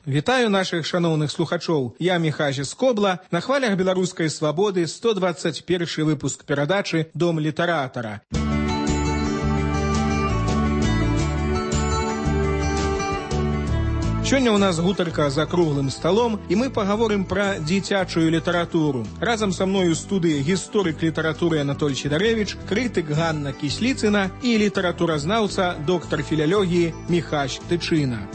Вітаю наших шановных слухачоў. Я Міхась Скобла. На хвалях беларускай свабоды 121 выпуск перадачы «Дом літаратара». Сёння ў нас гутарка за круглым сталом, і мы пагаворым пра дзіцячую літаратуру. Разам са мною ў студыі гісторык літаратуры Анатоль Сідарэвіч, крытык Ганна Кісліцына і літаратуразнаўца, доктар філялогіі Міхась Тычына.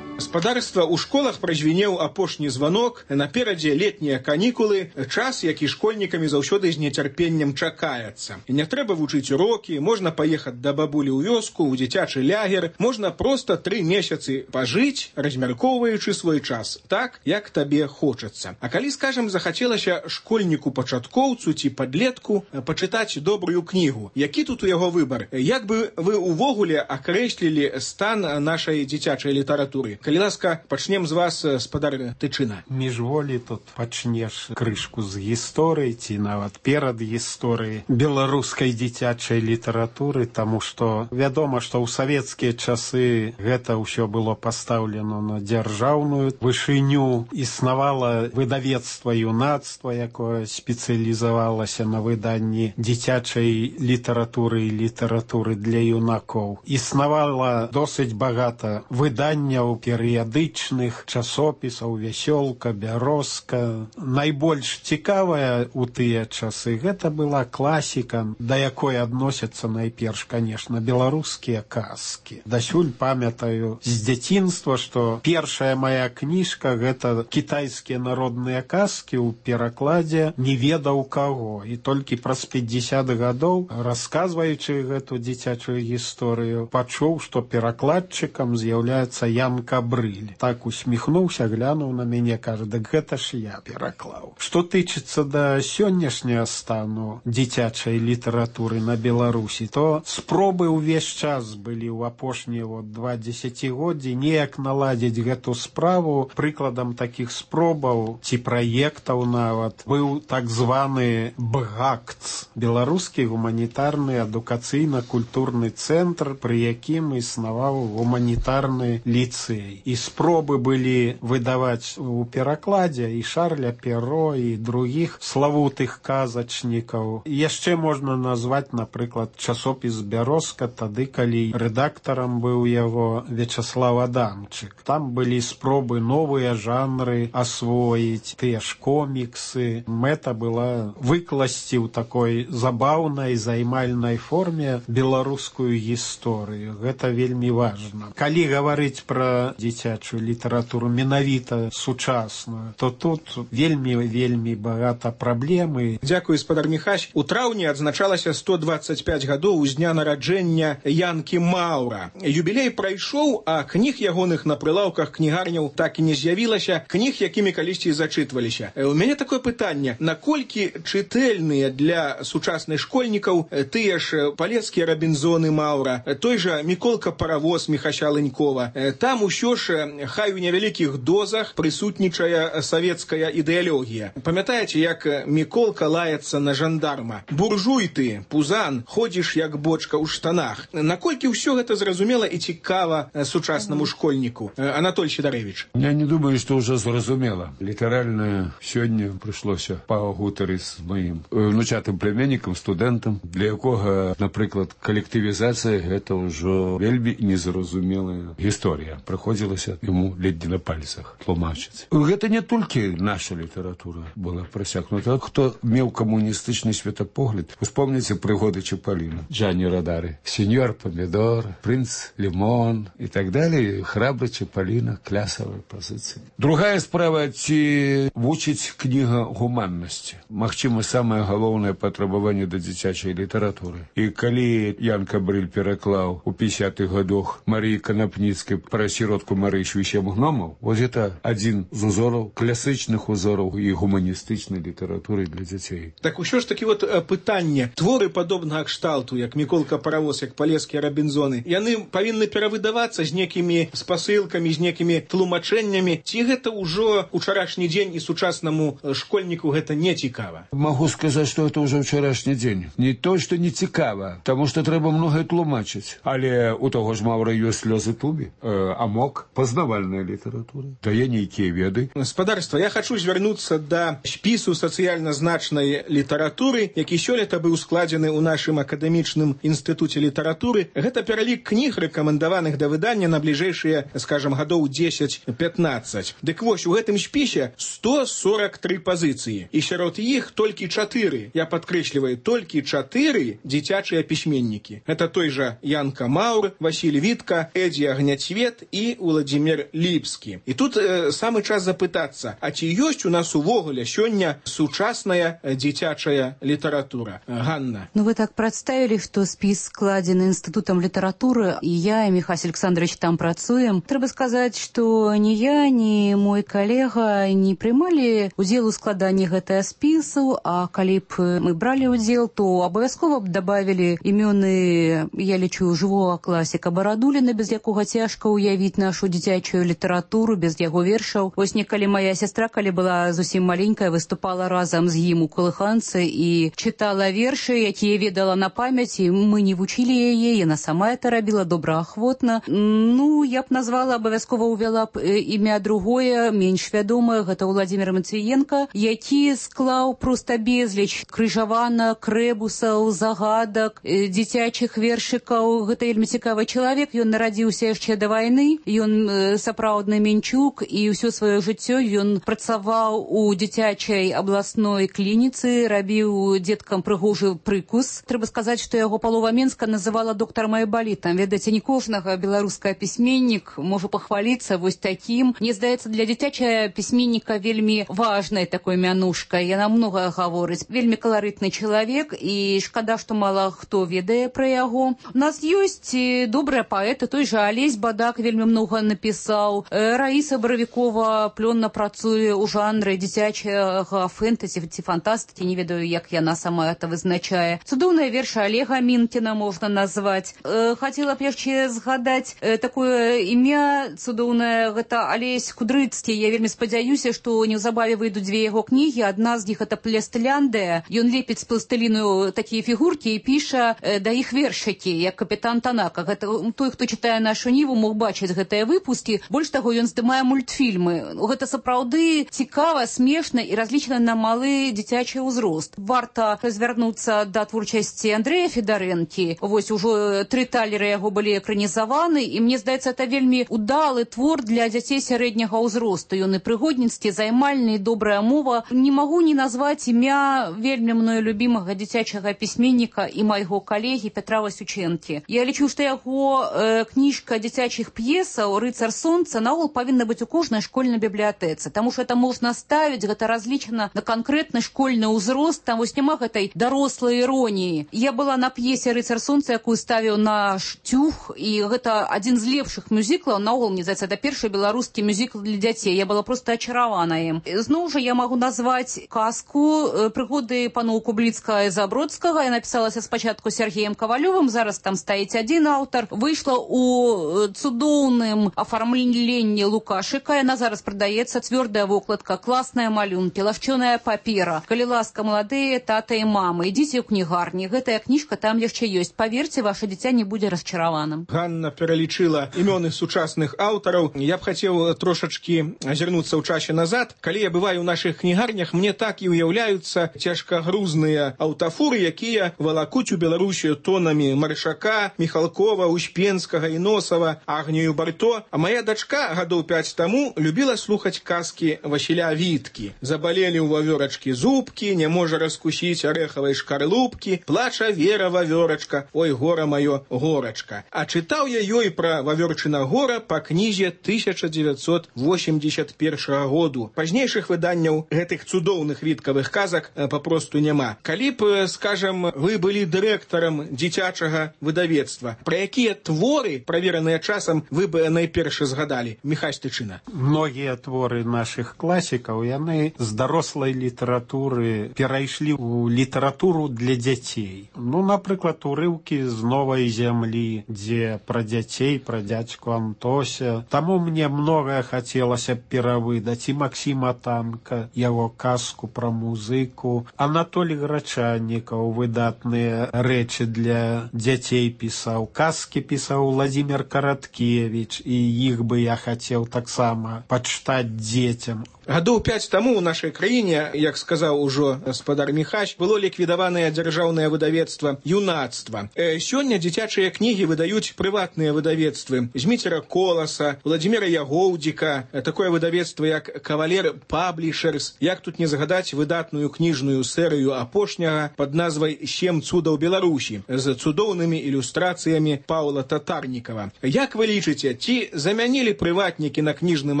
Гаспадарства ў школах празвінеў апошні званок, наперадзе летнія канікулы, час, які школьнікамі заўсёды з нецярпеннем чакаецца. І не трэба вучыць урокі, можна паехаць да бабулі ў вёску, у дзіцячы лягер, можна проста 3 месяцы пажыць, размяркоўваючы свой час, так, як табе хочацца. А калі, скажам, захацелася школьніку-пачаткоўцу ці падлетку пачытаць добрую кнігу, які тут у яго выбар? Як бы вы увогуле акрэслілі стан нашай дзіцячай літаратуры? Калі ласка, пачнем з вас, спадар Тычына. Міжволі тут пачнеш крышку з гісторыі, ці нават перад гісторыяй беларускай дзіцячай літаратуры, таму што вядома, што ў савецкія часы гэта ўсё было пастаўлена на дзяржаўную вышыню. Існавала выдавецтва юнацтва, якое спецыялізавалася на выданні дзіцячай літаратуры і літаратуры для юнакоў. Існавала досыць багата выданняў перыядычных часопісаў, вясёлка, бярозка. Найбольш цікавая ў тыя часы гэта была класіка, да якой адносяцца найперш, канешне, беларускія казкі. Дасюль памятаю з дзяцінства, што першая мая кніжка гэта кітайскія народныя казкі ў перакладзе не ведаў каго. І толькі праз 50 гадоў, расказваючы гэту дзіцячую гісторыю, пачуў, што перакладчыкам з'яўляецца Ян Кабрыль. Так усміхнуўся, глянуў на мяне, кажа, дык гэта ж я пераклаў. Што тычыцца да сённяшняга стану дзіцячай літаратуры на Беларусі, то спробы ўвесь час былі ў апошнія 2 дзесяцігоддзі неяк наладзіць гэту справу. Прыкладам такіх спробаў ці праектаў нават быў так званы БГАКЦ, беларускі гуманітарны адукацыйна-культурны цэнтр, пры якім існаваў гуманітарны ліцэй. І спробы былі выдаваць у перакладзе і Шарля Перро, і другіх славутых казачнікаў. Яшчэ можна назваць, напрыклад, часопіс «Бярозка», тады, калі рэдактарам быў яго Вячаслав Адамчык. Там былі спробы новыя жанры асвоіць, тыя ж коміксы. Мэта была выкласці ў такой забаўнай, займальнай форме беларускую гісторыю. Гэта вельмі важна. Калі гаварыць пра дзіцячую літаратуру менавіта сучасную, то тут вельмі багата праблемы. Дзякуй, спадар Міхась. У траўні адзначалася 125 гадоў з дня нараджэння Янкі Маўра. Юбілей прайшоў, а кніг ягоных на прылаўках кнігарняў так і не з'явілася, кніг, якімі калісьці зачытваліся. У мяне такое пытанне: наколькі чытэльныя для сучасных школьнікаў тыя ж палецкія Рабінзоны Маўра, той жа Міколка Паравоз Міхася Ленькова? Там усё ж, хай у невялікіх дозах, прысутнічае савецкая ідэалогія. Памятаеце, як Міколка лаецца на жандарма? Буржуй ты, пузан, ходзіш як бочка ў штанах. Наколькі ўсё гэта зразумела і цікава сучаснаму школьніку? Анатоль Сідарэвіч. Я не думаю, што ўжо зразумела. Літаральна сёння прыйшлося пагутарыць з маім внучатым племяннікам, студэнтам, для якога, напрыклад, калектывізацыя гэта ўжо вельмі незразумелая гісторыя. Прыходзілася яму ледзь на пальцах тлумачыць. Гэта не толькі наша літаратура была прасякнута. Хто меў камуністычны светапогляд, успомніце прыгоды Чапаліна, Джанні Радары, сеньор Помідор, прынц Лімон і так далее. Храбры Чапаліна, клясавыя пазіцыі. Другая справа, ці вучыць кніга гуманнасці. Магчыма, самае галоўнае патрабаванне да дзіцячай літаратуры. І калі Ян Кабрыль пераклаў у 50-х гадах Марыі Канапніцкай пра сіротку Марыі Швічем гномаў. Вот это адзін з узораў, класычных узораў і гуманістычнай літаратуры для дзяцей. Так ўсё ж такі вот пытанне. Творы падобнага кшталту, як Міколка Паравоз, як Палескія Рабінзоны, яны павінны перавыдавацца з некімі спасылкамі, з некімі тлумачэннямі. Ці гэта ўжо ўчарашні дзень і сучаснаму школьніку гэта не цікава? Могу сказаць, што это ўжо ўчарашні дзень. Не то, што не цікава, таму што трэба многае тлумачыць. Але у таго ж Маўра ёсць слёзы тубі, амок, пазнавальная літаратура, дае нейкія веды. Спадарства, я хачу звярнуцца да спісу сацыяльна значнай літаратуры, які сёлета быў складзены ў нашым акадэмічным інстытуце літаратуры. Гэта пералік кніг, рэкамендаваных да выдання на бліжэйшыя, скажам, гадоў 10-15. Дык вось, у гэтым спісе 143 пазіцыі. І сярод іх толькі 4, я падкрэсліваю, толькі 4 дзіцячыя пісьменнікі. Гэта той жа Янка Маур, Васіль Вітка, Эдзі Агняцвет і Уладзімір Ліпскі. І тут самы час запытацца, а ці ёсць у нас увогуле сёння сучасная дзіцячая літаратура? Ганна. Ну, вы так прадставілі, што спіс складзены інстытутам літаратуры, і я, і Міхась Александрович там працуем. Трэба сказаць, што ні я, ні мой калега не прымалі удзел у складанні гэтага спісу, а калі б мы бралі удзел, то абавязкова б дабавілі імёны, я лічу, жывога класіка Барадуліна, без якога цяжка ўявіць нашу дзіцячую літаратуру, без яго вершаў. Вось некалі моя сястра, калі была зусім маленькая, выступала разам з ім у калыханцы і чытала вершы, якія ведала на памяць, і мы не вучылі яе, яна сама это рабіла добраахвотна. Ну, я б назвала, абавязкова ўвяла б імя другое, менш вядомае, гэта Уладзімір Мацыенка, які склаў проста безліч крыжаванак, рэбусаў, загадак, дзіцячых вершыкаў. Гэта вельмі цікавы чалавек, ён нарадзіўся яшчэ да вайны, ён сапраўдны менчук, і ўсё сваё жыццё ён працаваў у дзіцячай абласной клініцы, рабіў дзеткам прыгожы прыкус. Трэба сказаць, што яго палова Менска называла доктарам айбалітам. Ведаеце, не кожнага беларускага пісьменнік можа пахваліцца вось такім. Мне здаецца, для дзіцячая пісьменніка вельмі важная такой мянушкай. Яна многае гаворыць. Вельмі каларытны чалавек, і шкада, што мала хто ведае пра яго. У нас ёсць добрыя паэты, той жа Алесь Бадак вельмі многа напісаў. Раіса Баравікова плённа працуе ў жанры дзіцячага фэнтэзі ці фантастыкі, не ведаю, як яна сама это вызначае. Цудоўныя вершы Олега Мінкіна можна назваць. Хацела б яшчэ згадаць такое імя цудоўнае, гэта Алесь Кудрыцкі. Я вельмі спадзяюся, што неўзабаве выйдуць две яго кнігі. Адна з іх это «Пластыляндыя». Ён лепіць з пластыліну такія фігуркі і піша да іх вершыкі, як капітан Танака. Гэта той, хто чытае нашу Ніву, мог бачыць гэтыя выпускі. Больш таго, ён здымае мультфільмы. Гэта сапраўды цікава, смешна і разлічана на малы дзіцячы ўзрост. Варта звярнуцца да творчасці Андрэя Федарэнкі. Вось ужо 3 талеры яго былі экранізаваны, і мне здаецца, это вельмі удалы твор для дзяцей сярэдняга ўзросту. Ён і прыгодніцкі, займальны, і добрая мова. Не магу не назваць імя вельмі мною любімага дзіцячага пісьменніка і майго калегі Петра Васючэнкі. Я лічу, што яго кніжка дзіцячых п'есаў «Рыцар сонца» наогул павінна быць у кожнай школьнай бібліятэцы, таму што это можна ставіць, гэта разлічана на канкрэтны школьны ўзрост, там вось няма гэтай дарослай іроніі. Я была на п'есе «Рыцар сонца», якую ставіў наш Тюх, і гэта адзін з лепшых мюзіклаў, наогул, мне здаецца, это першы беларускі мюзікл для дзяцей. Я была проста ачаравана ім. Зноў жа я магу назваць казку «Прыгоды паноў Кубліцкага і Забродскага». Я напісалася спачатку Сергеем Кавалёвым, зараз там стаіць адзін аўтар. Выйшла у цудоўным афармленні Лукашыка. Яна зараз прадаецца, цвёрдая вокладка, класныя малюнкі, лашчоная папера. Калі ласка, маладыя тата і мамы, ідзіце ў кнігарні. Гэтая кніжка там яшчэ ёсць. Паверце, ваше дзіця не будзе расчараваным. Ганна пералічыла імёны сучасных аўтараў. Я б хацеў трошачкі азірнуцца ў часе назад. Калі я бываю ў нашых кнігарнях, мне так і ўяўляюцца цяжкагрузныя аўтафуры, якія валакуць у Беларусію тонамі Маршака, Міхалкова, Успенскага, Іносава, Агнію Барто. А моя дачка гадоў 5 таму любіла слухаць казкі Васіля Віткі. Забалелі ў вавёрачкі зубкі, не можа раскусіць арэхавай шкарлупкі, плача Вера вавёрачка, ой, гора маё, горачка. А чытаў я ёй пра Вавёрчына гора па кнізе 1981 году. Пазнейшых выданняў гэтых цудоўных віткавых казак папросту няма. Калі б, скажам, вы былі дырэктарам дзіцячага выдавецтва, пра якія творы, правераныя часам, вы б найперш згадалі? Міхась Тычына. Многія творы нашых класікаў, яны з дарослай літаратуры перайшлі ў літаратуру для дзяцей. Напрыклад, урыўкі з «Новай зямлі», дзе пра дзяцей, пра дзядзьку Антося. Таму мне многае хацелася перавыдаць, і Максіма Танка, яго казку пра музыку, Анатолій Грачаннікаў выдатныя рэчы для дзяцей пісаў, казкі пісаў Владзімир Караткевіч, і іх бы я хацеў таксама пачытаць дзецям. Гадоў 5 таму ў нашай краіне, як сказаў ужо гаспадар Міхась, было ліквідаванае дзяржаўнае выдавецтва «Юнацтва». Сёння дзіцячыя кнігі выдаюць прыватныя выдавецтвы Зміцера Коласа, Владзіміра Ягоўдзіка, такое выдавецтва як «Кавалер Паблішерс», як тут не згадаць выдатную кніжную серыю апошняга пад назвай «7 цудаў Беларусі» з цудоўнымі ілюстрацыямі Паўла Татарнікава. Як вы лічыце, ці замянілі прыватнікі на кніжным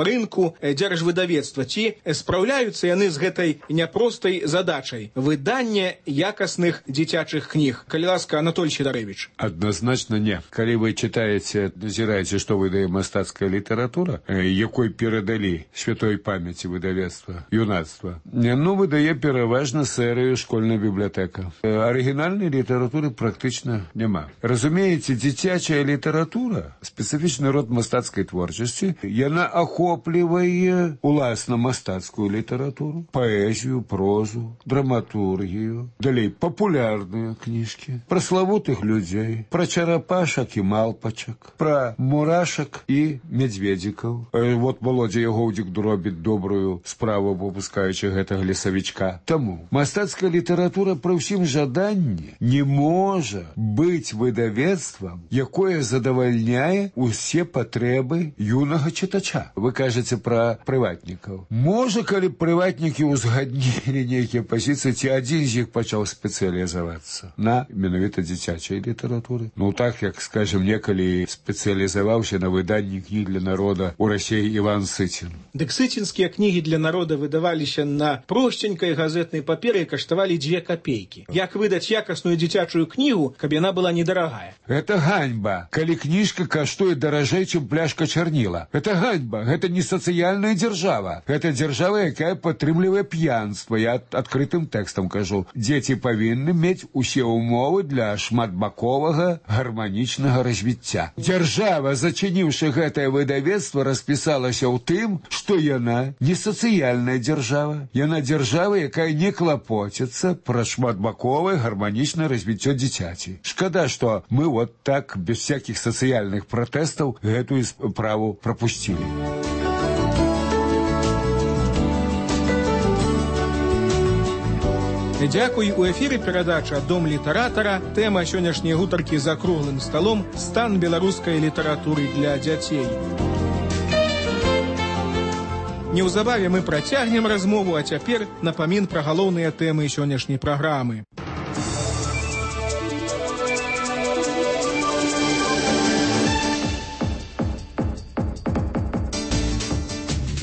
рынку дзяржвыдавецтва? Ці спраўляюцца яны з гэтай няпростай задачай выдання якасных дзіцячых кніг? Калі ласка, Анатолій Сідарэвіч. Адназначна не. Калі вы чытаеце, назіраеце, што выдае мастацкая літаратура, якой перадалі святой памяці выдавецтва «Юнацтва», выдае пераважна серыю «Школьная бібліятэка». Арыгінальнай літаратуры практычна няма. Разумееце, дзіцячая літаратура, спецыфічны род мастацкай творчасці, яна ахоплівае уласна мастацкую літаратуру, паэзію, прозу, драматургію, далей папулярныя кніжкі, пра славутых людзей, пра чарапашак і малпачак, пра мурашак і мядзведзікаў. Володзя Ягоўдзік робіць добрую справу, выпускаючы гэтага лесавічка. Таму мастацкая літаратура пры ўсім жаданні не можа быць выдавецтвам, якое задавальняе усе патрэбы юнага чытача. Вы кажаце пра прыватнікаў. Можа, калі прыватнікі ўзгаднілі нейкія пазіцыі, ці адзін з іх пачаў спецыялізавацца на менавіта дзіцячай літаратуры. Так, як, скажем, некалі спецыялізаваўся на выданні кніг для народа ў Расіі Іван Сыцін. Дык сыцінскія кнігі для народа выдаваліся на просценькай газетнай паперы і каштавалі 2 капейкі. Як выдаць якасную дзіцячую кнігу, каб яна была недарагая? Гэта ганьба, калі кніжка каштуе даражэй, чым пляшка чарніла. Гэта ганьба, гэта не сацыяльная дзяржава. Гэта дзяржава, якая падтрымлівае п'янства. Я адкрытым тэкстам кажу. Дзеці павінны мець усе ўмовы для шматбаковага гарманічнага развіцця. Дзяржава, зачыніўшы гэтае выдавецтва, распісалася ў тым, што яна не сацыяльная дзяржава. Яна дзяржава, якая не клапоціцца пра шматбаковае гарманічнае развіццё дзіцяці. Шкада, што мы так, без всякіх сацыяльных пратэстаў, гэтую справу прапусцілі. Дзякуй. У эфіры перадача «Дом літаратара». Тэма сённяшняй гутаркі за круглым сталом «Стан беларускай літаратуры для дзяцей». Неўзабаве мы працягнем размову, а цяпер напамін пра галоўныя тэмы сённяшняй праграмы.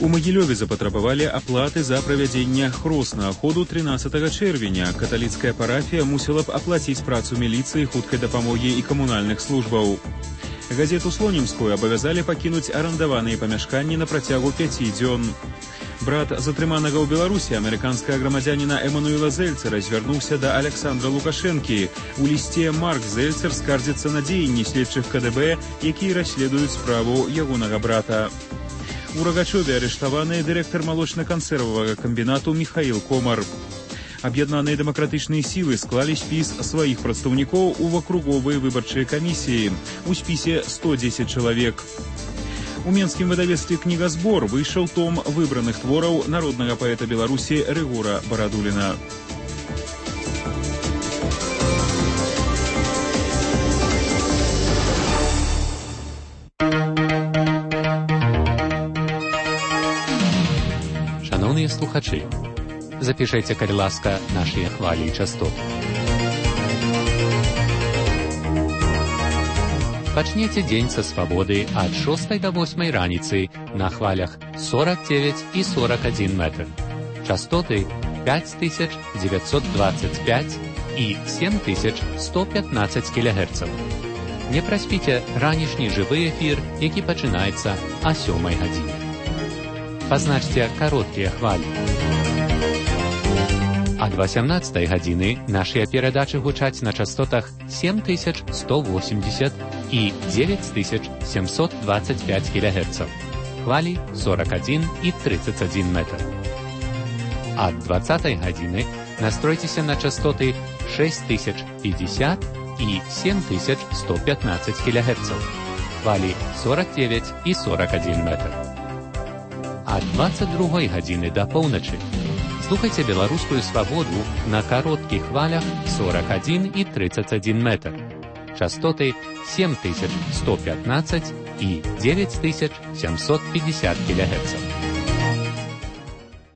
У Магілёве запатрабавалі аплаты за правядзенне хроснага ходу 13 чэрвеня. Каталіцкая парафія мусіла б аплаціць працу міліцыі, хуткай дапамогі і камунальных службаў. Газету «Слонімскую» абавязалі пакінуць арандаваныя памяшканні на працягу 5 дзён. Брат затрыманага ў Беларусі, амерыканскага грамадзяніна Эмануэла Зельцера, звярнуўся да Александра Лукашэнкі. У лісце Марк Зельцер скардзіцца на дзеянні следчых КДБ, якія расследуюць справу ягонага брата. У Рагачове арыштаваны дырэктар малочна-кансервавага камбінату Міхаіл Комар. Аб'яднаныя дэмакратычныя сілы склалі спіс сваіх прадстаўнікоў у акруговыя выбарчыя камісіі. У спісе 110 чалавек. У менскім выдавецтве «Кнігазбор» выйшаў том выбраных твораў народнага паэта Беларусі Рыгора Барадуліна. Шановныя слухачы, запішайце, калі ласка, нашыя хвалі і частоты. Пачнеце дзень са свабоды ад 6 до 8 раніцы на хвалях 49 і 41 метр. Частоты 5925 і 7115 кГц. Не праспіце ранішні жывы эфір, які пачынаецца о 7 гадзіне. Пазначце кароткія хвалі. Ад 18 гадзіны нашыя перадачы гучаць на частотах 7180 і 9725 кГц. Хвалі 41 і 31 метр. Ад 20 гадзіны настройцеся на частоты 6050 і 7115 кГц. Хвалі 49 і 41 метр. Ад 22 гадзіны да поўначы слухайце беларускую свабоду на кароткіх хвалях 41 і 31 метр. Частоты 7115 і 9750 кГц.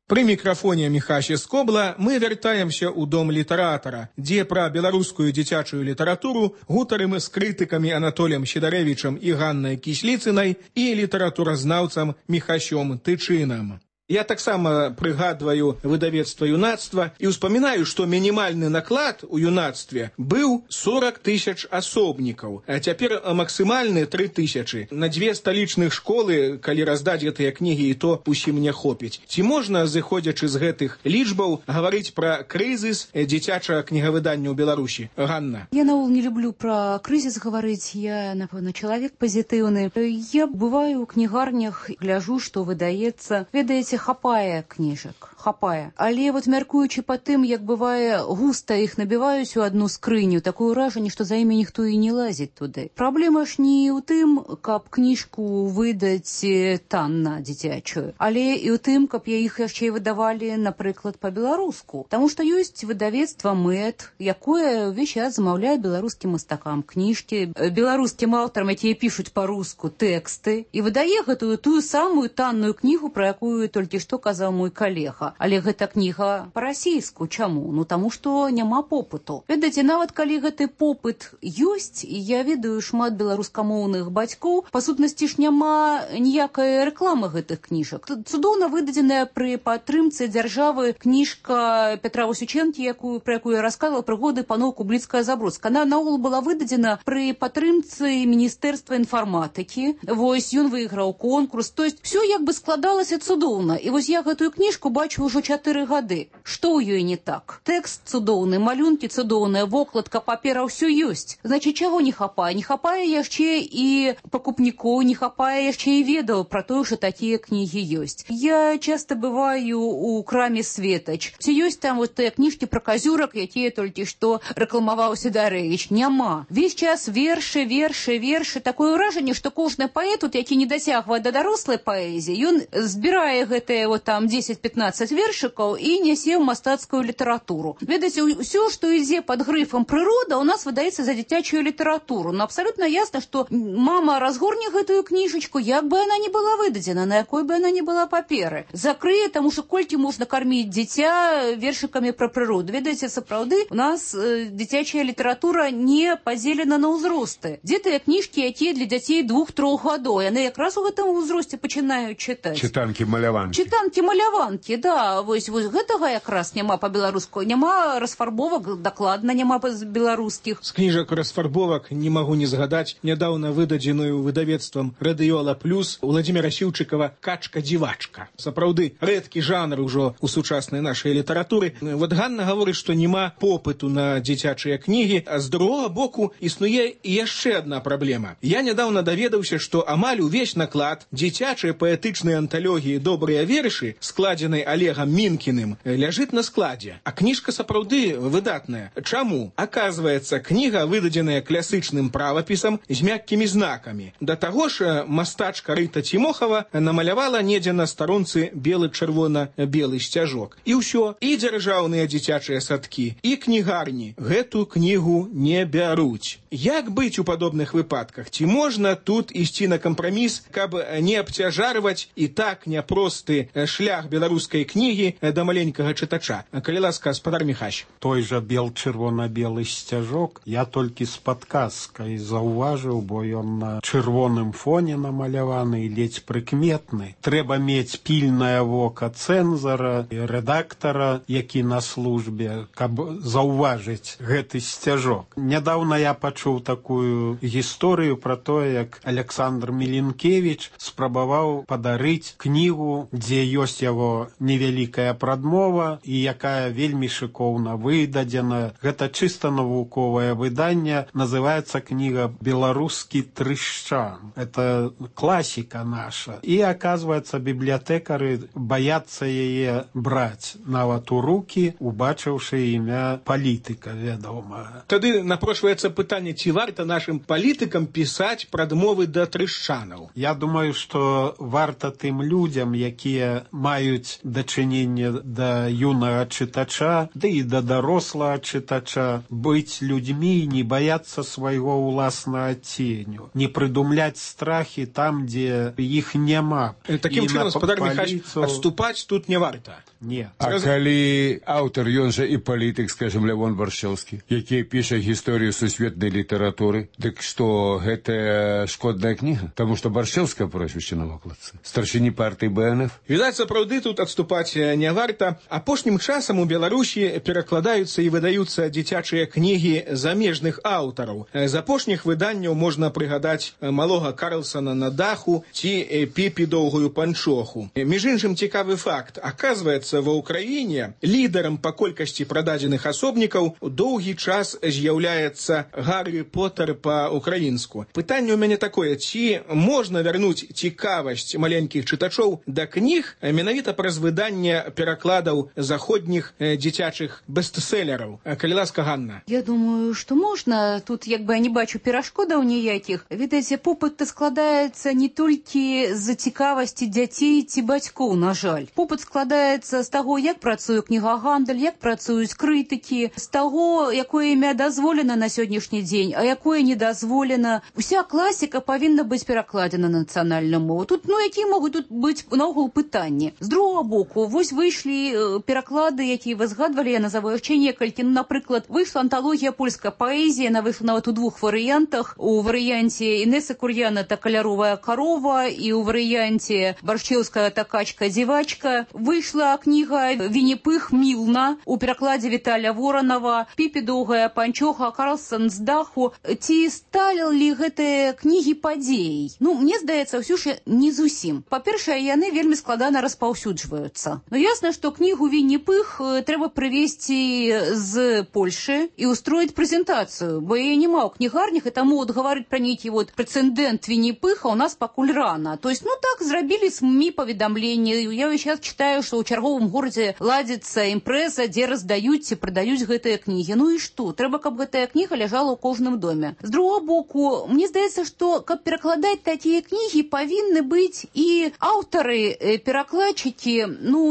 Пры мікрафоне Міхася Скобла мы вяртаемся ў дом літаратара, дзе пра беларускую дзіцячую літаратуру гутарым з крытыкамі Анатоліем Сідарэвічам і Ганнай Кісліцынай і літаратуразнаўцам Міхасём Тычынам. Я таксама прыгадваю выдавецтва юнацтва і ўспамінаю, што мінімальны наклад у юнацтве быў 40 000 асобнікаў, а цяпер максімальны 3 000. На 2 сталічных школы, калі раздаць гэтыя кнігі, і то усім не хопіць. Ці можна, зыходзячы з гэтых лічбаў, гаварыць пра крызіс дзіцячага кнігавыдання ў Беларусі? Ганна. Я наогул не люблю пра крызіс гаварыць, я, напэўна, чалавек пазітыўны. Я бываю ў кнігарнях, гляжу, што выдаецца. Ведаеце, хапае кніжак, хапае. Але вот мяркуючы па тым, як бывае густа іх набіваюць у адну скрыню, такое ўражанне, што за імі ніхто і не лазіць туды. Праблема ж не ў тым, каб кніжку выдаць танна дзіцячую, але і ў тым, каб іх яшчэ і выдавалі, напрыклад, па-беларуску. Таму што ёсць выдавецтва МЭД, якое ўвесь час замаўляе беларускім мастакам кніжкі, беларускім аўтарам, якія пішуць па-руску тэксты, і выдае гэтую тую самую танную кнігу, пра якую толькі што казаў мой калега. Але гэта кніга па-расійску. Чаму? Ну, таму што няма попыту. Ведаеце, нават калі гэты попыт ёсць, і я ведаю шмат беларускамоўных бацькоў, па сутнасці ж няма ніякай рэкламы гэтых кніжак. Цудоўна выдадзеная пры падтрымцы дзяржавы кніжка Петра Васючэнкі, пра якую я расказвала, прыгоды паноў Кубліцкая-Забродская. Она наогул была выдадзена пры падтрымцы Міністэрства інфарматыкі. Вось ён выйграў конкурс. То есть все як бы складалася цудоўна. І вось я гэтую кніжку бачу ўжо 4 гады. Што ў ёй не так? Тэкст цудоўны, малюнкі цудоўныя, вокладка, папера, ўсё ёсць. Значыць, чаго не хапае? Не хапае яшчэ і пакупнікоў, не хапае яшчэ і ведаў пра тое, што такія кнігі ёсць. Я часта бываю у краме «Светач». Ці ёсць там вот тыя кніжкі пра казюрак, якія толькі што рэкламаваў Сідарэвіч? Няма. Весь час вершы. Такое ўражанне, што кожны паэт, які не дасягвае да дарослай паэзіі, ён збірае гэтыя вот там 10-15 вершикаў і нясе ў мастацкую літаратуру. Ведаеце, ўсё, што ідзе пад грыфам прырода, у нас выдаецца за дзіцячую літаратуру. Но абсалютна ясна, што мама разгорне гэтую кніжачку, як бы она не была выдадзена, на якой бы она не была паперы. Закрые, таму што колькі можна карміць дзіця вершыкамі пра прыроду. Ведаеце, сапраўды, у нас дзіцячая літаратура не падзелена на ўзросты. Дзе тыя кніжкі, якія для дзяцей 2-3 гадоў? Яны якраз у гэтым узросце пачынаюць чытаць. Чытанкі-маляванкі, да. Вось гэтага якраз няма па-беларуску. Няма расфарбовак, дакладна няма беларускіх. З кніжак расфарбовак не магу не згадаць нядаўна выдадзеную выдавецтвам «Радыёла Плюс» Владзіміра Сіўчыкава «Качка-дзівачка». Сапраўды, рэдкі жанр ужо ў сучаснай нашай літаратуры. Вот Ганна гаворыць, што няма попыту на дзіцячыя кнігі, а з другога боку існуе яшчэ адна праблема. Я нядаўна даведаўся, што амаль увесь наклад дзіцячай паэтычнай анталогіі «Добрыя вершы», складзенай Олегам Мінкіным, ляжыць на складзе. А кніжка сапраўды выдатная. Чаму? Аказваецца, кніга выдадзеная класычным правапісам з мяккімі знакамі. Да таго ж, мастачка Рыта Цімохава намалявала недзе на старонцы белы-чырвона-белы сцяжок. І ўсё, і дзяржаўныя дзіцячыя садкі, і кнігарні гэту кнігу не бяруць. Як быць у падобных выпадках? Ці можна тут ісці на кампраміс, каб не абцяжарваць і так няпросты шлях беларускай кнігі да маленькага чытача. Калі ласка, спадар Міхась. Той жа чырвона-белы сцяжок я толькі з падказкай заўважыў, бо ён на чырвоным фоне намаляваны і ледзь прыкметны. Трэба мець пільнае вока цэнзара і рэдактара, які на службе, каб заўважыць гэты сцяжок. Нядаўна я пачуў такую гісторыю пра тое, як Александр Міленкевіч спрабаваў падарыць кнігу, дзе ёсць яго невялікая прадмова і якая вельмі шыкоўна выдадзена. Гэта чыста навуковае выданне, называецца кніга «Беларускі трышчан». Это класіка наша. І, аказваецца, бібліятэкары баяцца яе браць нават у рукі, убачыўшы імя палітыка вядомага. Тады напрошваецца пытанне, ці варта нашым палітыкам пісаць прадмовы да трышчанаў? Я думаю, што варта тым людзям, якія маюць дачыненне да юнага чытача, ды і да дарослага чытача, быць людзьмі і не баяцца свайго ўласнага ценю, не прыдумляць страхі там, дзе іх няма. Такім чынам, спадар Міхась, адступаць тут не варта. Не. А калі аўтар, ён жа і палітык, скажем, Лявон Баршчэўскі, які піша гісторыю сусветнай літаратуры, дык што гэта шкодная кніга? Таму што Баршчэўскае прозвішча на вокладцы. Старшыні партыі БНФ. Відаць, сапраўды тут адступаць не варта. Апошнім часам у Беларусі перакладаюцца і выдаюцца дзіцячыя кнігі замежных аўтараў. З апошніх выданняў можна прыгадаць малога Карлсона на даху ці Піпі доўгую панчоху. Між іншым, цікавы факт. Аказваецца, ва ўкраіне лідарам па колькасці прададзеных асобнікаў доўгі час з'яўляецца Гаррі Поттер па-украінску. Пытанне ў мяне такое, ці можна вярнуць цікавасць маленькіх чытачоў да кніг менавіта праз выданне перакладаў заходніх дзіцячых бестселераў? Калі ласка, Ганна. Я думаю, што можна. Тут як бы я не бачу перашкодаў ніякіх. Відаць, попыт складаецца не толькі з-за цікавасці дзяцей ці бацькоў, на жаль. Попыт складаецца з таго, як працуе кнігагандаль, як працуюць крытыкі, з таго, якое імя дазволена на сённяшні дзень, а якое не дазволена. Уся класіка павінна быць перакладзена на нацыянальную мову. Тут, якія могуць тут быць наогул пытанні. З другого боку, вось выйшлі пераклады, якія вы згадвалі, я назову яшчэ некалькі. Напрыклад, выйшла анталогія польскай паэзіі, яна выйшла нават у двух варыянтах. У варыянце Інесы Кур'яна «Та каляровая корова» і ў варыянце Баршчэўская «Та качка-дзівачка». Выйшла кніга «Вінні-Пых Мілна» у перакладзе Віталя Воранова, «Піпі доўгая панчоха», «Карлсон з даху». Ці сталі гэтыя кнігі падзеяй? Мне здаецца, ўсё ж не зусім. Па-першае, яны вельмі складана распаўсюджваюцца. Ясна, што кнігу «Вінні-Пых» трэба прывезці з Польшы і устроіць прэзентацыю, бо яе няма ў кнігарнях, і таму гаварыць пра нейкі прэцэдэнт Вінні-Пыха у нас пакуль рана. То есть, так зрабілі СМІ паведамленні. Я сейчас читаю, што ў чарговым горадзе ладзіцца імпрэза, дзе раздаюць ці прадаюць гэтыя кнігі. І што? Трэба, каб гэтая кніга ляжала ў кожным доме. З другого боку, мне здаецца, што каб перакладаць такія кнігі, павінны быць і аўтары, перакладчыкі,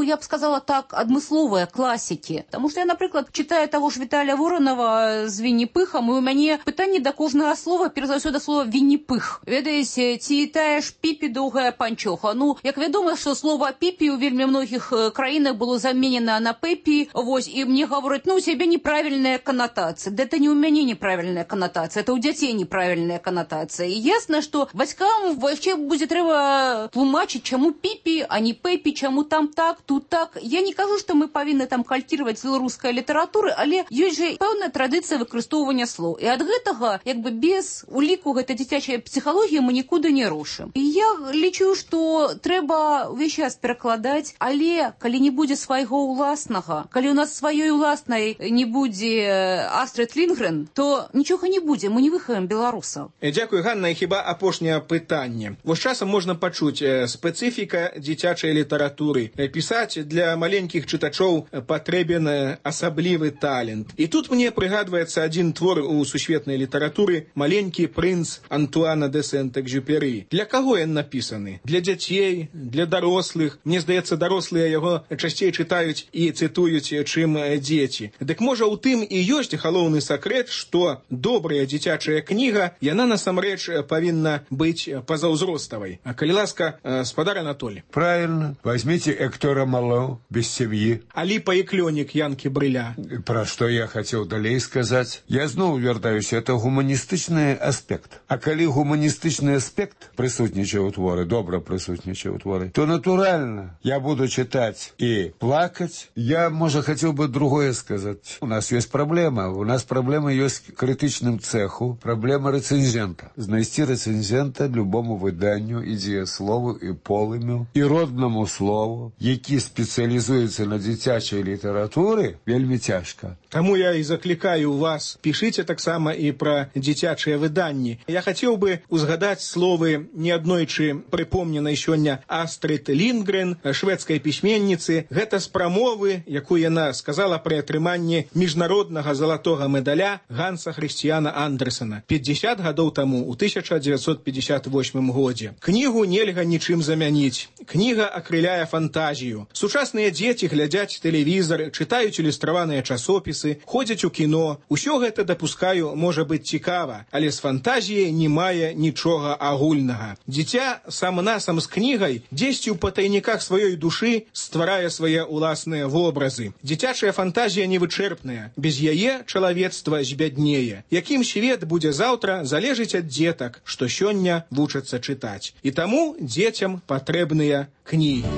я б сказала так, адмысловыя класікі. Таму што я, напрыклад, читаю таго ж Віталя Воранова з Вінні-Пыхам, і у мяне пытанне да кожнага слова, перш за ўсё да слова Вінні-Пых. Ведаеце, ці тая ж Піпі доўгая панчоха. Як вядома, што слова Піпі у вельмі многіх краінах было заменена на Пепі, і мне гавораць, у цябе неправільная канатацыя. Это не у мяне неправільная канатацыя, это у дзяцей неправільная канатацыя. І ясна, што бацькам яшчэ будзе трэба тлумачыць, чаму Піпі, а не Пепі, чаму там так, тут так. Я не кажу, што мы павінны там кальціваць беларускай літаратуры, але ёсць жа пэўная традыцыя выкарыстоўвання слоў. І ад гэтага, без уліку гэтай дзіцячай псіхалогіі мы нікуды не рушым. І я лічу, што трэба ўвесь час перакладаць, але калі не будзе свайго ўласнага, калі у нас сваёй уласнай не будзе Астрид Лінгрен, то нічога не будзе, мы не выхаваем беларусаў. Дзякуй, Ганна. І хіба апошняе пытанне. Вось часам можна пачуць спецыфіка дзіцячай літаратуры. Пісаць для маленькіх чытачоў патрэбен асаблівы талент. І тут мне прыгадваецца адзін твор у сусветнай літаратуры «Маленькі прынц» Антуана де Сент-Экзюпері. Для каго ён напісаны? Для дзяцей, для дарослых. Мне здаецца, дарослыя яго часцей чытаюць і цытуюць, чым дзеці. Дык можа ў тым і ёсць галоўны сакрэт, што добрая дзіцячая кніга, яна насамрэч павінна быць пазаўзроставай. А калі ласка, спадар Анатолий. Правильно. Возьмите Эктора Рамало без сем'і. Алі паеклёнік Янкі Брыля. Пра што я хацеў далей сказаць? Я зноў вяртаюся, это гуманістычны аспект. А калі гуманістычны аспект прысутнічае ў творы, добра прысутнічае ў творы, то натуральна я буду чытаць і плакаць. Я, можа, хацеў бы другое сказаць. У нас ёсць праблема. У нас праблема ёсць крытычным цэху, праблема рэцэнзента. Знайсці рэцэнзента любому выданню і дзеяслову, і полымю, і роднаму слову, які спецыялізуецца на дзіцячай літаратуры, вельмі цяжка. Таму я і заклікаю вас, пішыце таксама і пра дзіцячыя выданні. Я хацеў бы узгадаць словы неаднойчы прыпомненай сёння Астрид Лінгрен, шведскай пісьменніцы. Гэта з прамовы, якую яна сказала пры атрыманні міжнароднага залатога медаля Ганса Хрысціяна Андерсена 50 гадоў таму, у 1958 годзе. Кнігу нельга нічым замяніць. Кніга акрыляе фантазію. Сучасныя дзеці глядзяць тэлевізар, чытаюць ілюстраваныя часопісы, ходзяць у кіно. Усё гэта, дапускаю, можа быць цікава, але з фантазіяй не мае нічога агульнага. Дзіця сам-насам з кнігай дзесьці ў патайніках сваёй душы стварае свае ўласныя вобразы. Дзіцячая фантазія невычэрпная. Без яе чалавецтва збяднее. Якім свет будзе заўтра, залежыць ад дзетак, што сёння вучацца чытаць. І таму дзецям патрэбныя кнігі.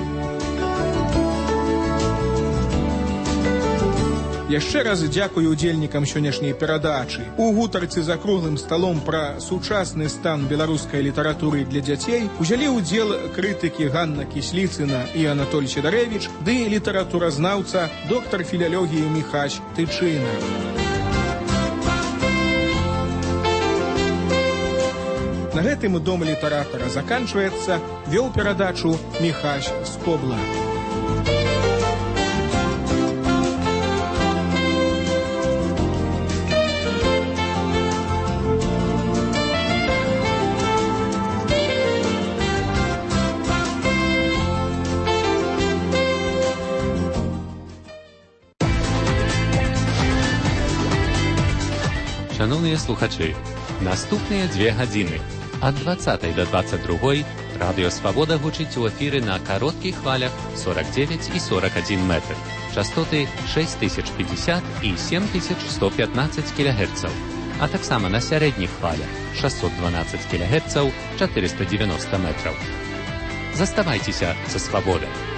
Яшчэ раз дзякую удзельнікам сённяшняй перадачы. У гутарцы за круглым сталом пра сучасны стан беларускай літаратуры для дзяцей узялі ўдзел крытыкі Ганна Кісліцына і Анатоль Сідарэвіч ды літаратуразнаўца доктар філалогіі Міхась Тычына. На гэтым дом літаратара заканчваецца. Вёў перадачу Міхась Скобла. Шановні слухачі, наступныя 2 гадзіны ад 20 до 22 Радыё Свабода гучыць у эфіры на кароткіх хвалях 49 і 41 метр, частоты 6050 і 7115 кГц, а таксама на сярэдніх хвалях 612 кГц, 490 метраў. Заставайцеся са Свабодай.